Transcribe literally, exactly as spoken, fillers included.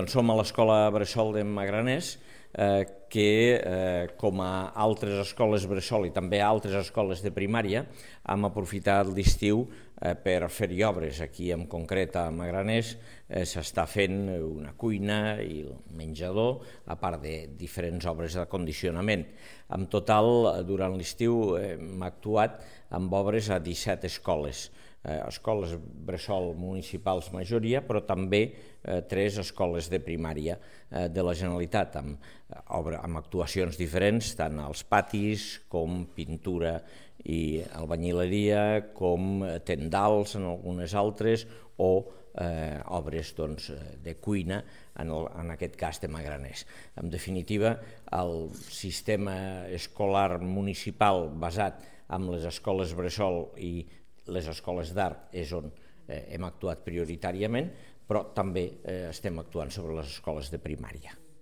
Som a l'Escola Bressol de Magraners, eh, que, eh, com a altres escoles bressol i també altres escoles de primària, hem aprofitat l'estiu eh, per fer-hi obres. Aquí, en concret, a Magraners, eh, s'està fent una cuina i un menjador, a part de diferents obres d'acondicionament. En total, durant l'estiu, eh, hem actuat amb obres a disset escoles. Eh, escoles bressol municipals majoria, però també eh, tres escoles de primària eh, de la Generalitat, amb, eh, amb actuacions diferents, tant als patis com pintura i albanyileria, com tendals en algunes altres, o eh, obres doncs, de cuina, en, el, en aquest cas de Magraners. En definitiva, el sistema escolar municipal basat en les escoles bressol i les escoles d'art és on eh, hem actuat prioritàriament, però també eh, estem actuant sobre les escoles de primària.